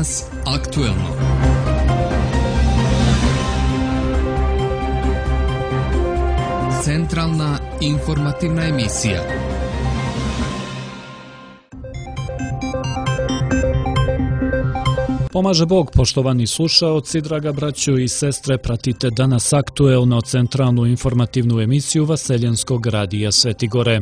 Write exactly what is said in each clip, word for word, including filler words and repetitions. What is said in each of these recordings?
Danas aktuelno. Centralna informativna emisija. Pomaže Bog, poštovani slušaoci, draga braćo i sestre, pratite danas aktuelno centralnu informativnu emisiju Vaseljenskog radija Sveti Gore.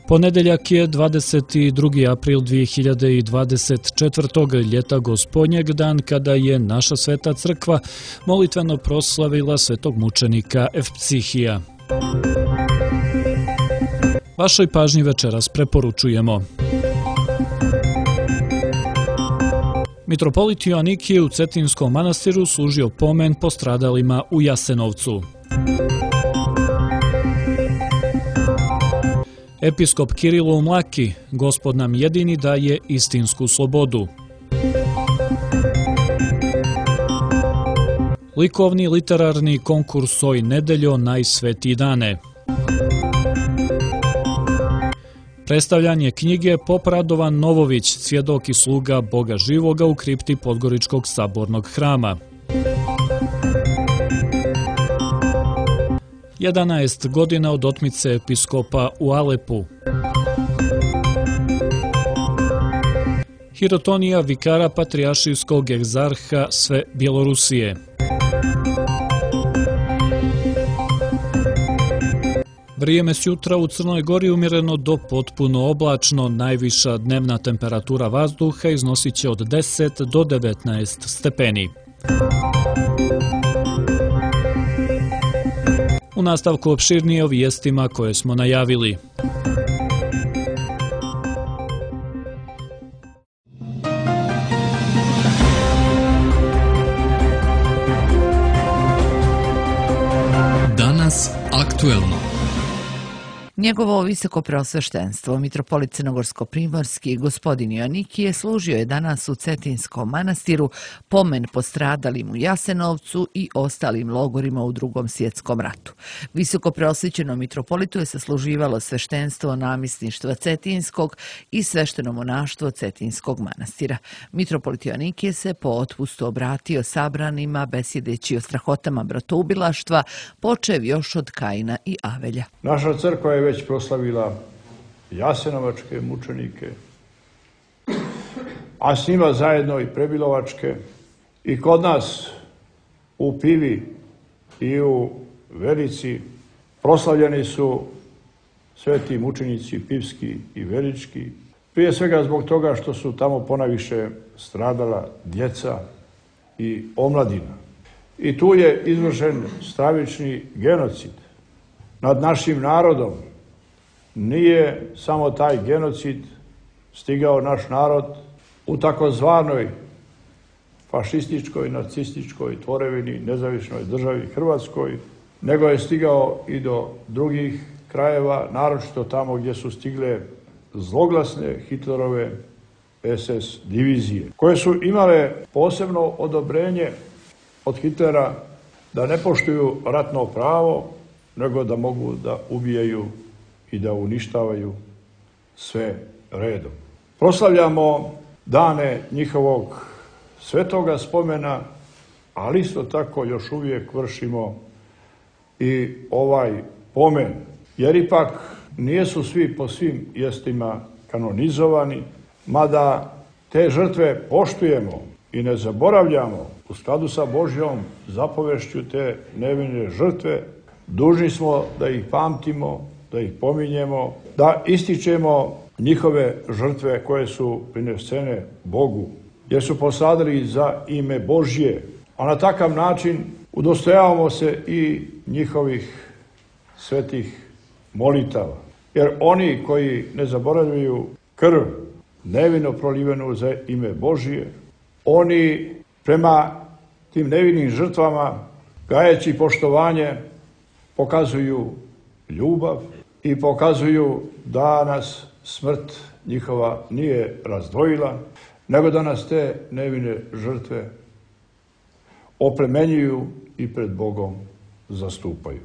Ponedeljak je dvadeset drugi april dvije hiljade dvadeset četvrtog. ljeta Gospodnjeg, dan kada je naša sveta crkva molitveno proslavila svetog mučenika Evpsihija. Vašoj pažnji večeras preporučujemo: Mitropolit Joanikije u Cetinskom manastiru služio pomen postradalima u Jasenovcu. Episkop Kirilo u Mlaki: Gospod nam jedini daje istinsku slobodu. Likovni literarni konkurs Oj nedeljo najsvetiji dane. Predstavljanje knjige Pop Radovan Novović, svjedok i sluga Boga živoga u kripti Podgoričkog sabornog hrama. jedanaest godina od otmice episkopa u Alepu. Hirotonija vikara patrijaršijskog egzarha sve Bjelorusije. Vrijeme s jutra u Crnoj Gori umjereno do potpuno oblačno, najviša dnevna temperatura vazduha iznosit će od deset do devetnaest stepeni. U nastavku opširnije o vijestima koje smo najavili. Danas aktuelno. Njegovo visoko preosveštenstvo, mitropolit Crnogorsko-primorski, gospodin Joanikije, služio je danas u Cetinskom manastiru pomen postradalim u Jasenovcu i ostalim logorima u Drugom svjetskom ratu. Visoko preosvećeno mitropolitu je sasluživalo sveštenstvo namjesništva Cetinskog i svešteno monaštvo Cetinskog manastira. Mitropolit Joanikije se po otpustu obratio sabranima, besjedeći o strahotama bratoubilaštva, počev još od Kaina i Avelja. Naša crkva je već proslavila jasenovačke mučenike, a s njima zajedno i prebilovačke. I kod nas u Pivi i u Velici proslavljeni su sveti mučenici pivski i velički, prije svega zbog toga što su tamo ponajviše stradala djeca i omladina. I tu je izvršen stravični genocid nad našim narodom. Nije samo taj genocid stigao naš narod u takozvanoj fašističkoj, nacističkoj tvorevini, nezavisnoj državi Hrvatskoj, nego je stigao i do drugih krajeva, naročito tamo gdje su stigle zloglasne Hitlerove es es divizije, koje su imale posebno odobrenje od Hitlera da ne poštuju ratno pravo, nego da mogu da ubijaju i da uništavaju sve redom. Proslavljamo dane njihovog svetoga spomena, ali isto tako još uvijek vršimo i ovaj pomen, jer ipak nijesu svi po svim mjestima kanonizovani, mada te žrtve poštujemo i ne zaboravljamo u skladu sa Božjom zapovešću. Te nevine žrtve dužni smo da ih pamtimo, da ih pominjemo, da ističemo njihove žrtve koje su prinesene Bogu, jer su posadili za ime Božje, a na takav način udostojavamo se i njihovih svetih molitava. Jer oni koji ne zaboravljaju krv nevino prolivenu za ime Božje, oni prema tim nevinim žrtvama, gajeći poštovanje, pokazuju ljubav i pokazuju da nas smrt njihova nije razdvojila, nego da nas te nevine žrtve oplemenjuju i pred Bogom zastupaju.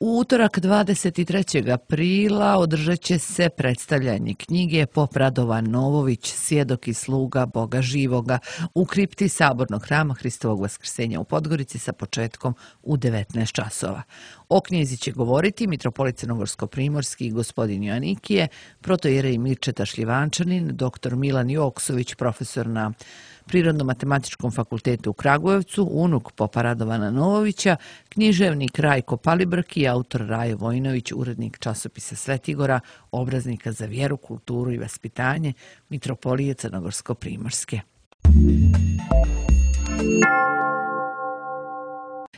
U U utorak dvadeset trećeg aprila održat će se predstavljanje knjige Pop Radovan Novović, svjedok i sluga Boga živoga u kripti Sabornog hrama Hristovog Vaskrsenja u Podgorici sa početkom u devetnaest časova. O knjizi će govoriti mitropolit Crnogorsko-primorski gospodin Joanikije, protoijerej Mirčeta Šljivančanin, doktor Milan Joksović, profesor na Prirodno-matematičkom fakultetu u Kragujevcu, unuk Popa Radovana Novovića, književnik Rajko Palibrk i autor Rajo Vojnović, urednik časopisa Svetigora, obraznika za vjeru, kulturu i vaspitanje mitropolije Crnogorsko-primorske.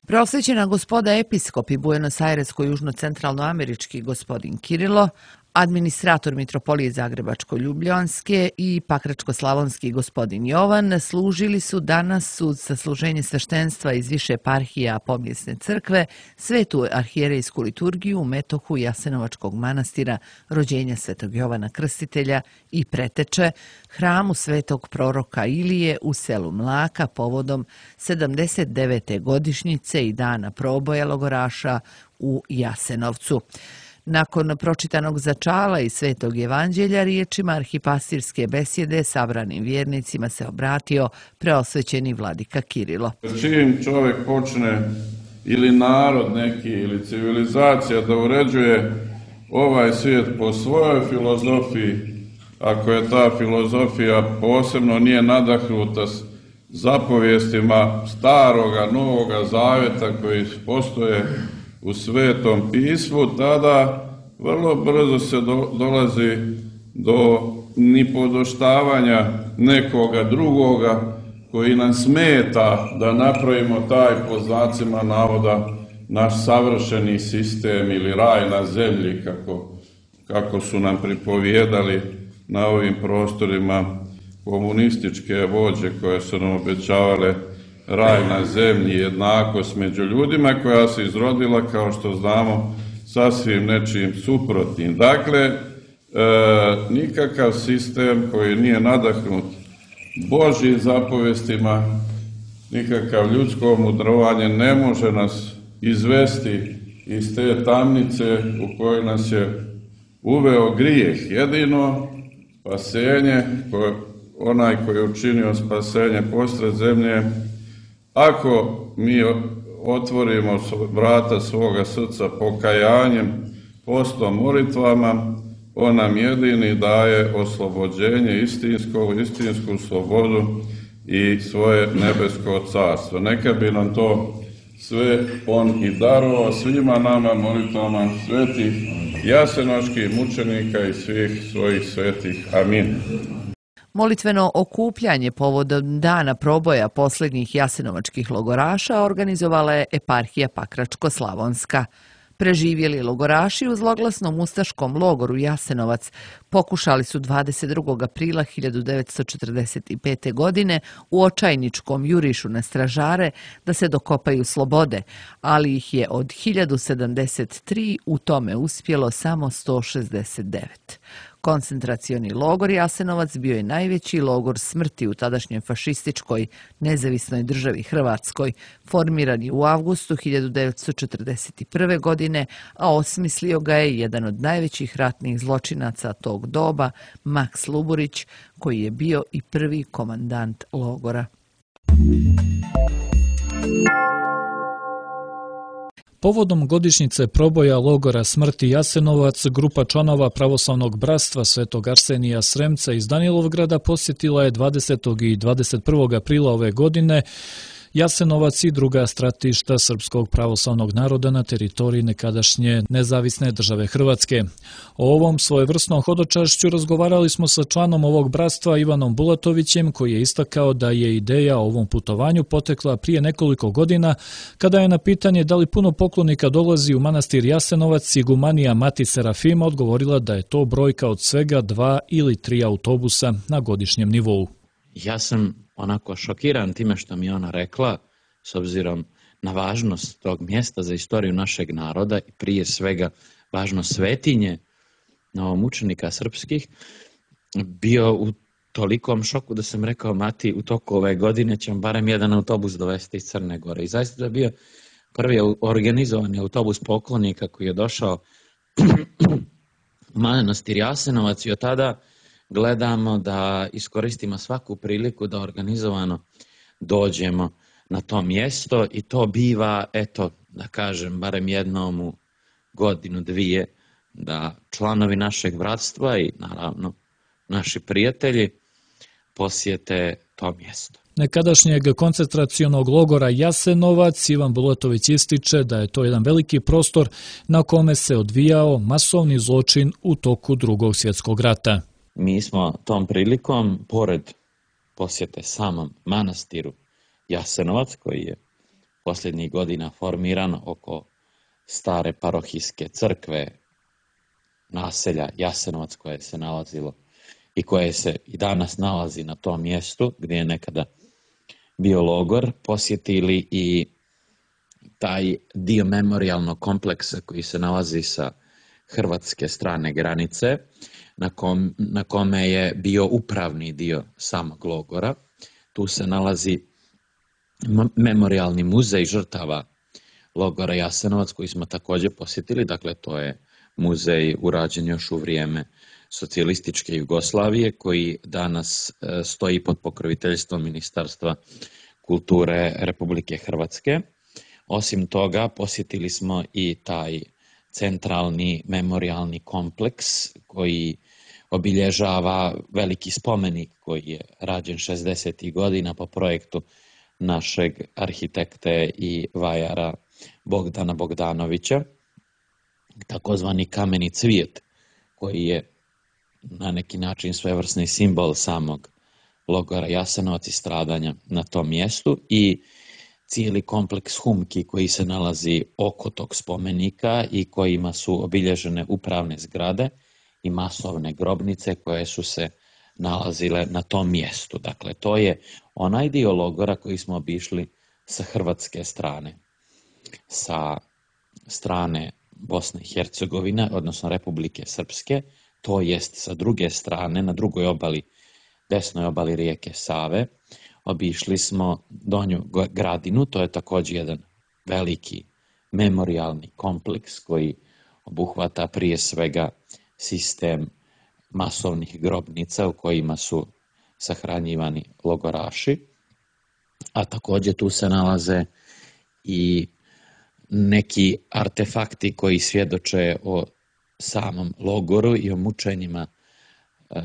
Prosvećena gospoda episkopi Buenos Airesko-južno-centralnoamerički gospodin Kirilo, administrator mitropolije Zagrebačko-ljubljanske i Pakračko-slavonski gospodin Jovan služili su danas uz sasluženje sveštenstva iz više eparhija Pomjesne crkve svetu arhijerejsku liturgiju u metohu Jasenovačkog manastira rođenja svetog Jovana Krstitelja i preteče hramu svetog proroka Ilije u selu Mlaka povodom sedamdeset devete godišnjice i dana proboja logoraša u Jasenovcu. Nakon pročitanog začala i Svetog evanđelja riječima arhipastirske besjede sabranim vjernicima se obratio preosvećeni vladika Kirilo. Čim čovjek počne ili narod neki ili civilizacija da uređuje ovaj svijet po svojoj filozofiji, ako je ta filozofija posebno nije nadahnuta s zapovijestima staroga, novoga zavjeta koji postoje u Svetom pismu, tada vrlo brzo se do, dolazi do nipodoštavanja nekoga drugoga koji nam smeta da napravimo taj, po znacima navoda, naš savršeni sistem ili raj na zemlji, kako, kako su nam pripovijedali na ovim prostorima komunističke vođe koje su nam obećavale raj na zemlji, jednakost među ljudima, koja se izrodila, kao što znamo, sasvim nečim suprotnim. Dakle, e, nikakav sistem koji nije nadahnut Božjim zapovjestima, nikakav ljudsko mudrovanje ne može nas izvesti iz te tamnice u kojoj nas je uveo grijeh. Jedino spasenje, koje, onaj koji je učinio spasenje posred zemlje, ako mi otvorimo vrata svoga srca pokajanjem, postom, molitvama, on nam jedini daje oslobođenje istinsko, istinsku slobodu i svoje nebesko carstvo. Neka bi nam to sve on i darovao svima nama molitvama svetih jasenovačkih mučenika i svih svojih svetih. Amin. Molitveno okupljanje povodom dana proboja posljednjih jasenovačkih logoraša organizovala je eparhija Pakračko-slavonska. Preživjeli logoraši u zloglasnom ustaškom logoru Jasenovac pokušali su dvadeset drugog aprila hiljadu devetsto četrdeset pete. godine u očajničkom jurišu na stražare da se dokopaju slobode, ali ih je od hiljadu sedamdeset tri u tome uspjelo samo sto šezdeset devet. Koncentracioni logor Jasenovac bio je najveći logor smrti u tadašnjoj fašističkoj nezavisnoj državi Hrvatskoj, formiran je u avgustu hiljadu devetsto četrdeset prve. godine, a osmislio ga je jedan od najvećih ratnih zločinaca tog doba, Maks Luburić, koji je bio i prvi komandant logora. Povodom godišnjice proboja logora smrti Jasenovac, grupa članova Pravoslavnog bratstva Svetog Arsenija Sremca iz Danilovgrada posjetila je dvadesetog i dvadeset prvog aprila ove godine Jasenovac i druga stratišta srpskog pravoslavnog naroda na teritoriji nekadašnje nezavisne države Hrvatske. O ovom svojevrsnom hodočašću razgovarali smo sa članom ovog bratstva Ivanom Bulatovićem, koji je istakao da je ideja o ovom putovanju potekla prije nekoliko godina, kada je na pitanje da li puno poklonika dolazi u manastir Jasenovac, igumanija Mati Serafima odgovorila da je to brojka od svega dva ili tri autobusa na godišnjem nivou. Ja sam onako šokiran time što mi je ona rekla, s obzirom na važnost tog mjesta za istoriju našeg naroda i prije svega važnost svetinje novomučenika srpskih, bio u tolikom šoku da sam rekao, Mati, u toku ove godine ćemo barem jedan autobus dovesti iz Crne Gore. I zaista je bio prvi organizovani autobus poklonika koji je došao u manastir Jasenovac i od tada gledamo da iskoristimo svaku priliku da organizovano dođemo na to mjesto i to biva, eto, da kažem, barem jednom u godinu, dvije, da članovi našeg bratstva i naravno naši prijatelji posjete to mjesto. Nekadašnjeg koncentracionog logora Jasenovac Ivan Bulatović ističe da je to jedan veliki prostor na kome se odvijao masovni zločin u toku Drugog svjetskog rata. Mi smo tom prilikom, pored posjete samom manastiru Jasenovac, koji je posljednjih godina formiran oko stare parohijske crkve naselja Jasenovac, koje se nalazilo i koje se i danas nalazi na tom mjestu gdje je nekada bio logor, posjetili i taj dio memorijalnog kompleksa koji se nalazi sa hrvatske strane granice, na, kom, na kome je bio upravni dio samog logora. Tu se nalazi memorijalni muzej žrtava logora Jasenovac koji smo također posjetili, dakle to je muzej urađen još u vrijeme socijalističke Jugoslavije koji danas stoji pod pokroviteljstvom Ministarstva kulture Republike Hrvatske. Osim toga posjetili smo i taj centralni memorijalni kompleks koji obilježava veliki spomenik koji je rađen šezdesetih godina po projektu našeg arhitekte i vajara Bogdana Bogdanovića, takozvani kameni cvijet, koji je na neki način svevrsni simbol samog logora Jasenovac i stradanja na tom mjestu, i cijeli kompleks humki koji se nalazi oko tog spomenika i kojima su obilježene upravne zgrade i masovne grobnice koje su se nalazile na tom mjestu. Dakle, to je onaj dio logora koji smo obišli sa hrvatske strane. Sa strane Bosne i Hercegovine, odnosno Republike Srpske, to jest sa druge strane, na drugoj obali, desnoj obali rijeke Save, obišli smo Donju Gradinu, to je također jedan veliki memorijalni kompleks koji obuhvata prije svega sistem masovnih grobnica u kojima su sahranjivani logoraši, a također tu se nalaze i neki artefakti koji svjedoče o samom logoru i o mučenjima e,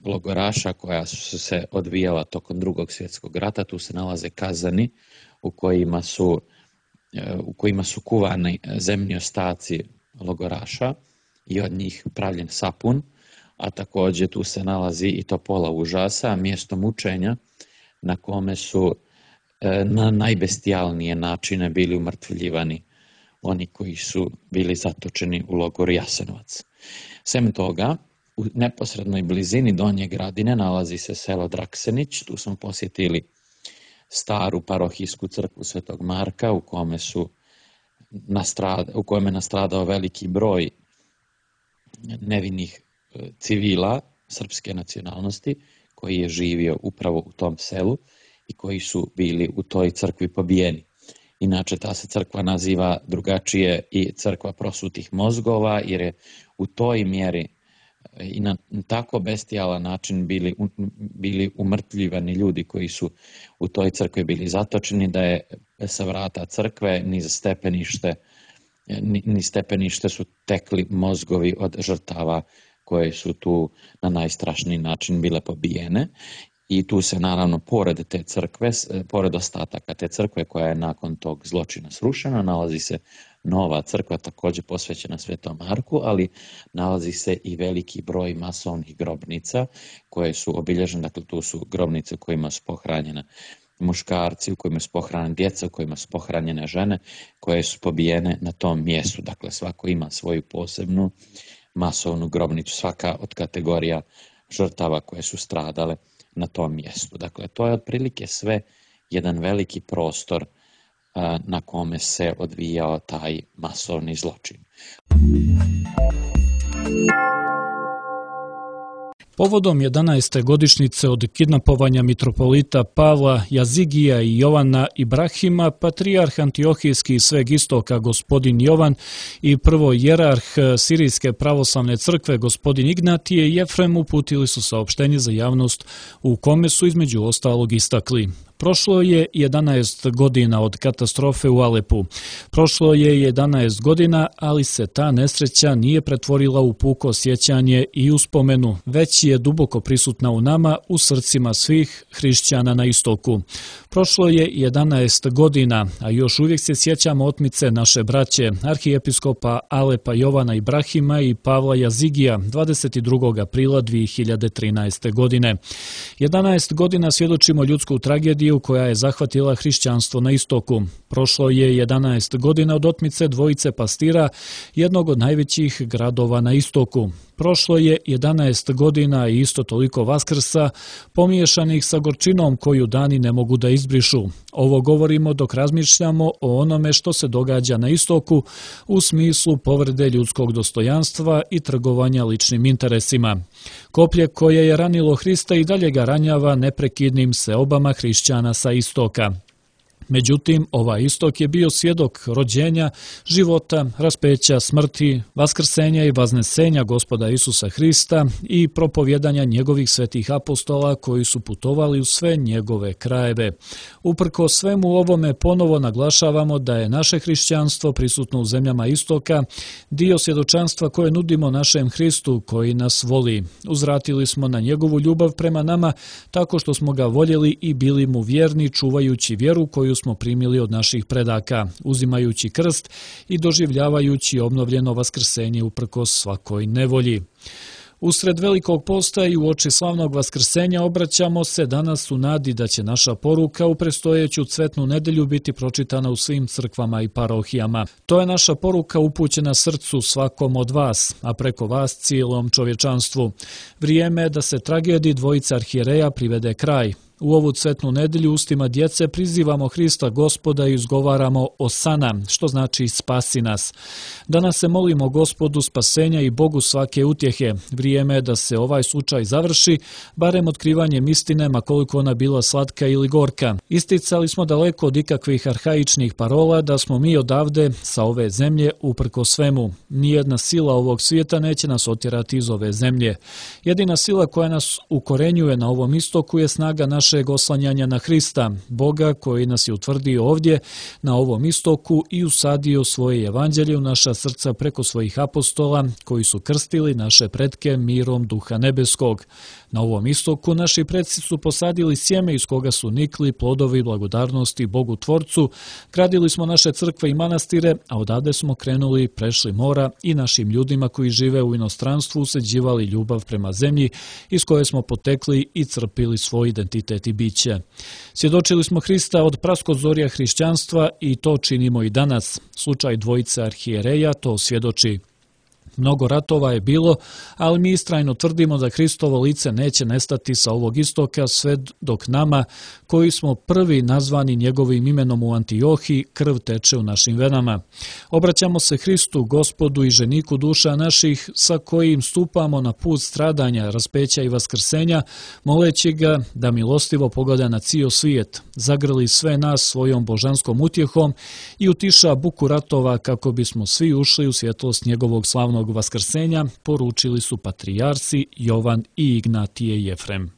logoraša koja su se odvijala tokom Drugog svjetskog rata. Tu se nalaze kazani u kojima su, e, u kojima su kuvani zemni ostaci logoraša i od njih pravljen sapun, a također tu se nalazi i topola užasa, mjesto mučenja na kome su e, na najbestijalnije načine bili umrtvljivani oni koji su bili zatočeni u logoru Jasenovac. Sem toga, u neposrednoj blizini Donje Gradine nalazi se selo Draksenić. Tu smo posjetili staru parohijsku crkvu Svetog Marka u kome su nastrada, u kojem je nastradao veliki broj nevinih civila srpske nacionalnosti koji je živio upravo u tom selu i koji su bili u toj crkvi pobijeni. Inače, ta se crkva naziva drugačije i crkva prosutih mozgova, jer je u toj mjeri i na tako bestijalan način bili, bili umrtljivani ljudi koji su u toj crkvi bili zatočeni, da je sa vrata crkve ni za stepenište, ni, ni stepenište su tekli mozgovi od žrtava koje su tu na najstrašniji način bile pobijene. I tu se naravno pored te crkve, pored ostataka te crkve koja je nakon tog zločina srušena, nalazi se nova crkva također posvećena Svetom Marku, ali nalazi se i veliki broj masovnih grobnica koje su obilježene. Dakle, tu su grobnice u kojima su pohranjene muškarci, u kojima su pohranjene djeca, u kojima su pohranjene žene koje su pobijene na tom mjestu. Dakle, svako ima svoju posebnu masovnu grobnicu, svaka od kategorija žrtava koje su stradale na tom mjestu. Dakle, to je otprilike sve jedan veliki prostor a, na kome se odvijao taj masovni zločin. Povodom jedanaeste godišnjice od kidnapovanja mitropolita Pavla Jazigija i Jovana Ibrahima, patrijarh Antiohijski i Sveg Istoka gospodin Jovan i prvo jerarh Sirijske pravoslavne crkve gospodin Ignatije Jefrem uputili su saopštenje za javnost u kome su između ostalog istakli: prošlo je jedanaest godina od katastrofe u Alepu. Prošlo je jedanaest godina, ali se ta nesreća nije pretvorila u puko sjećanje i uspomenu, već je duboko prisutna u nama, u srcima svih hrišćana na istoku. Prošlo je jedanaest godina, a još uvijek se sjećamo otmice naše braće, arhijepiskopa Alepa Jovana Ibrahima i Pavla Jazigija dvadeset drugog aprila dvije hiljade trinaeste. godine. jedanaest godina svjedočimo ljudsku tragediju koja je zahvatila hrišćanstvo na istoku. Prošlo je jedanaest godina od otmice dvojice pastira jednog od najvećih gradova na istoku. Prošlo je jedanaest godina i isto toliko Vaskrsa, pomiješanih sa gorčinom koju dani ne mogu da izbrišu. Ovo govorimo dok razmišljamo o onome što se događa na istoku u smislu povrede ljudskog dostojanstva i trgovanja ličnim interesima. Koplje koje je ranilo Hrista i dalje ga ranjava neprekidnim seobama hrišćana sa istoka. Međutim, ovaj istok je bio svjedok rođenja, života, raspeća, smrti, vaskrsenja i vaznesenja Gospoda Isusa Hrista i propovjedanja njegovih svetih apostola koji su putovali u sve njegove krajeve. Uprko svemu ovome ponovo naglašavamo da je naše hrišćanstvo prisutno u zemljama istoka, dio svjedočanstva koje nudimo našem Hristu koji nas voli. Uzvratili smo na njegovu ljubav prema nama tako što smo ga voljeli i bili mu vjerni čuvajući vjeru koju smo primili od naših predaka, uzimajući krst i doživljavajući obnovljeno vaskrsenje uprkos svakoj nevolji. Usred velikog posta i uoči slavnog vaskrsenja obraćamo se danas u nadi da će naša poruka u predstojeću cvetnu nedelju biti pročitana u svim crkvama i parohijama. To je naša poruka upućena srcu svakom od vas, a preko vas cijelom čovječanstvu. Vrijeme je da se tragediji dvojice arhijereja privede kraj. U ovu cvetnu nedelju ustima djece prizivamo Hrista Gospoda i izgovaramo Osana, što znači spasi nas. Danas se molimo Gospodu spasenja i Bogu svake utjehe. Vrijeme je da se ovaj slučaj završi, barem otkrivanjem istine, ma koliko ona bila slatka ili gorka. Isticali smo daleko od ikakvih arhaičnih parola da smo mi odavde, sa ove zemlje, uprko svemu. Nijedna sila ovog svijeta neće nas otjerati iz ove zemlje. Jedina sila koja nas ukorenjuje na ovom istoku je snaga naše oslanjanja na Hrista, Boga koji nas je utvrdio ovdje na ovom istoku i usadio svoje evanđelje u naša srca preko svojih apostola koji su krstili naše pretke mirom Duha Nebeskog. Na ovom istoku naši preci su posadili sjeme iz koga su nikli plodovi blagodarnosti Bogu Tvorcu, gradili smo naše crkve i manastire, a odavde smo krenuli, prešli mora i našim ljudima koji žive u inostranstvu useđivali ljubav prema zemlji iz koje smo potekli i crpili svoj identitet i biće. Svjedočili smo Hrista od praskozorja hrišćanstva i to činimo i danas. Slučaj dvojice arhijereja to svjedoči. Mnogo ratova je bilo, ali mi istrajno tvrdimo da Hristovo lice neće nestati sa ovog istoka sve dok nama, koji smo prvi nazvani njegovim imenom u Antiohiji, krv teče u našim venama. Obraćamo se Hristu, Gospodu i ženiku duša naših, sa kojim stupamo na put stradanja, raspeća i vaskrsenja, moleći ga da milostivo pogleda na cijel svijet, zagrli sve nas svojom božanskom utjehom i utiša buku ratova kako bismo svi ušli u svjetlost njegovog slavnog vaskrsenja, poručili su patrijarsi Jovan i Ignatije Jefrem.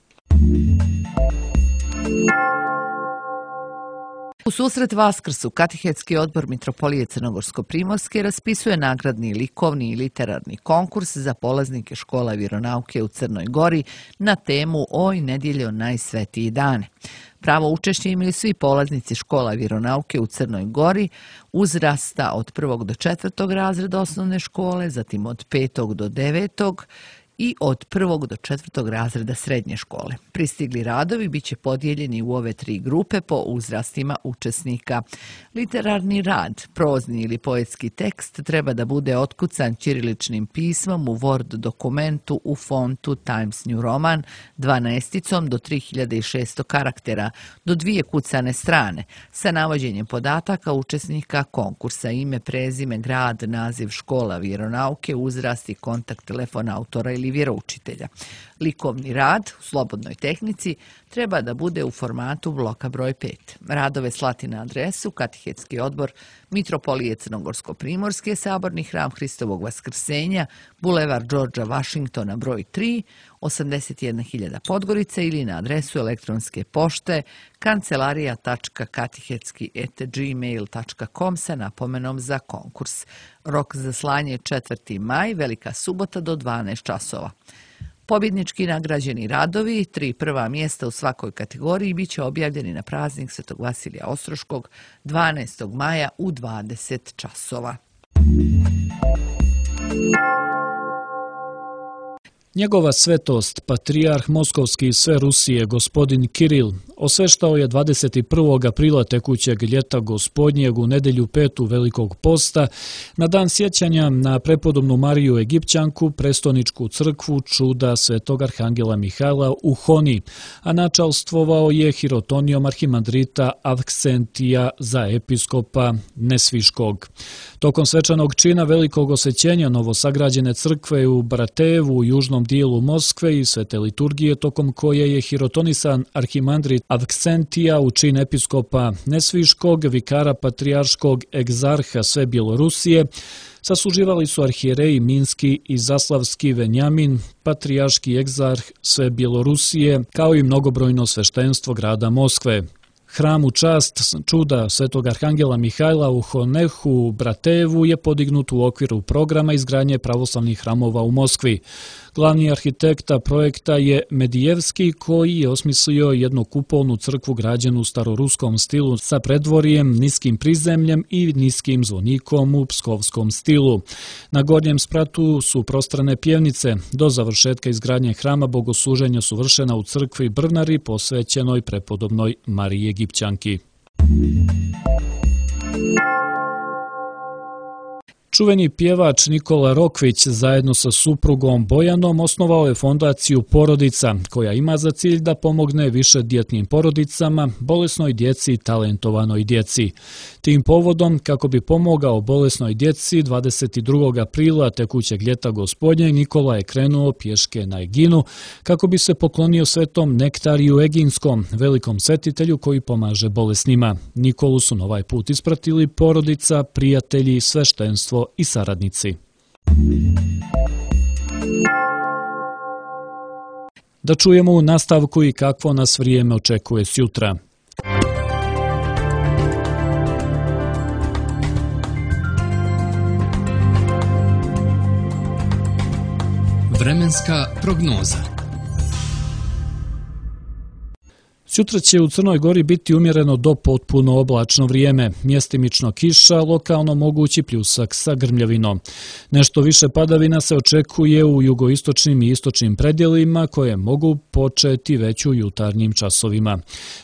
U susret Vaskrsu Katehetski odbor Mitropolije Crnogorsko-Primorske raspisuje nagradni likovni i literarni konkurs za polaznike škola vjeronauke u Crnoj Gori na temu Oj nedjeljo najsvetiji dane. Pravo učešće imaju svi polaznici škola vjeronauke u Crnoj Gori uzrasta od prvog do četvrtog razreda osnovne škole, zatim od petog do devetog i od prvog do četvrtog razreda srednje škole. Pristigli radovi bit će podijeljeni u ove tri grupe po uzrastima učesnika. Literarni rad, prozni ili poetski tekst treba da bude otkucan ćiriličnim pismom u Word dokumentu u fontu Times New Roman dvanaesticom do tri hiljade šesto karaktera, do dvije kucane strane, sa navođenjem podataka učesnika konkursa, ime, prezime, grad, naziv škola vjeronauke, uzrast i kontakt telefona autora ili vjeroučitelja. Likovni rad u slobodnoj tehnici treba da bude u formatu bloka broj pet. Radove slati na adresu Katehetski odbor Mitropolije Crnogorsko-Primorske, Saborni hram Hristovog Vaskrsenja, Bulevar Đorđa Vašingtona broj tri, osamdeset jedna hiljada Podgorica, ili na adresu elektronske pošte kancelarija tačka katehetski et gmail tačka com sa napomenom za konkurs. Rok za slanje je četvrti maj, Velika subota do dvanaest časova. Pobjednički nagrađeni radovi, tri prva mjesta u svakoj kategoriji, bit će objavljeni na praznik Svetog Vasilija Ostroškog dvanaestog maja u dvadeset časova. Njegova svetost, patrijarh Moskovski i sve Rusije, gospodin Kiril, osveštao je dvadeset prvog aprila tekućeg ljeta gospodnjeg u nedjelju petu Velikog posta na dan sjećanja na prepodobnu Mariju Egipćanku, prestoničku crkvu čuda svetog arhangela Mihajla u Honi, a načalstvovao je hirotonijom arhimandrita Avksentija za episkopa Nesviškog. Tokom svečanog čina velikog osvećenja novosagrađene crkve u Bratejevu u južnom dijelu Moskve i svete liturgije, tokom koje je hirotonisan arhimandrit Avksentija u čin episkopa Nesviškog, vikara patrijarškog egzarha sve Bjelorusije, sasluživali su arhijereji Minski i Zaslavski Venjamin, patrijarški egzarh sve Bjelorusije, kao i mnogobrojno sveštenstvo grada Moskve. Hram u čast čuda svetog arhangela Mihajla u Honehu u Bratejevu je podignut u okviru programa izgradnje pravoslavnih hramova u Moskvi. Glavni arhitekta projekta je Medijevski, koji je osmislio jednu kupolnu crkvu građenu u staroruskom stilu sa predvorjem, niskim prizemljem i niskim zvonikom u pskovskom stilu. Na gornjem spratu su prostrane pjevnice. Do završetka izgradnje hrama bogosluženja su vršena u crkvi Brnari posvećenoj prepodobnoj Mariji Egipćanki. Čuveni pjevač Nikola Rokvić zajedno sa suprugom Bojanom osnovao je fondaciju Porodica, koja ima za cilj da pomogne višedjetnim porodicama, bolesnoj djeci i talentovanoj djeci. Tim povodom, kako bi pomogao bolesnoj djeci, dvadeset drugog aprila tekućeg ljeta gospodnjeg, Nikola je krenuo pješke na Eginu kako bi se poklonio svetom Nektariju Eginskom, velikom svetitelju koji pomaže bolesnima. Nikolu su na ovaj put ispratili porodica, prijatelji, sveštenstvo i saradnici. Da čujemo u nastavku i kakvo nas vrijeme očekuje sjutra. Vremenska prognoza. Sutra će u Crnoj Gori biti umjereno do potpuno oblačno vrijeme, mjestimično kiša, lokalno mogući pljusak sa grmljavinom. Nešto više padavina se očekuje u jugoistočnim i istočnim predjelima koje mogu početi već u jutarnjim časovima.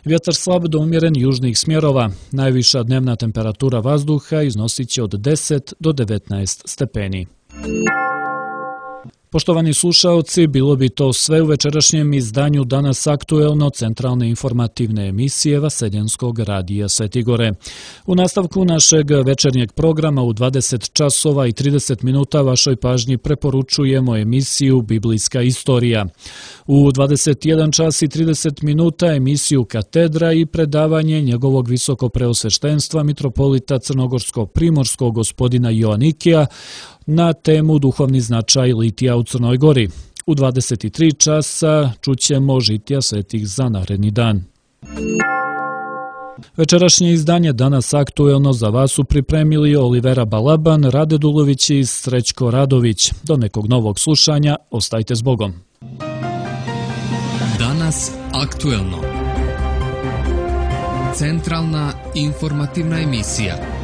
Vjetar slab do umjeren južnih smjerova, najviša dnevna temperatura vazduha iznosit će od deset do devetnaest stepeni. Poštovani slušaoci, bilo bi to sve u večerašnjem izdanju Danas aktuelno centralne informativne emisije Vaseljenskog radija Svetigore. U nastavku našeg večernjeg programa u dvadeset časova i trideset minuta vašoj pažnji preporučujemo emisiju Biblijska istorija. U dvadeset jedan čas i trideset minuta emisiju Katedra i predavanje njegovog visoko preosveštenstva mitropolita Crnogorsko-Primorskog gospodina Joanikija na temu duhovni značaj litija u Crnoj Gori. U dvadeset tri časa čućemo žitija svetih za naredni dan. Večerašnje izdanje Danas aktuelno za vas su pripremili Olivera Balaban, Rade Dulović i Srećko Radović. Do nekog novog slušanja, ostajte s Bogom. Danas aktuelno. Centralna informativna emisija.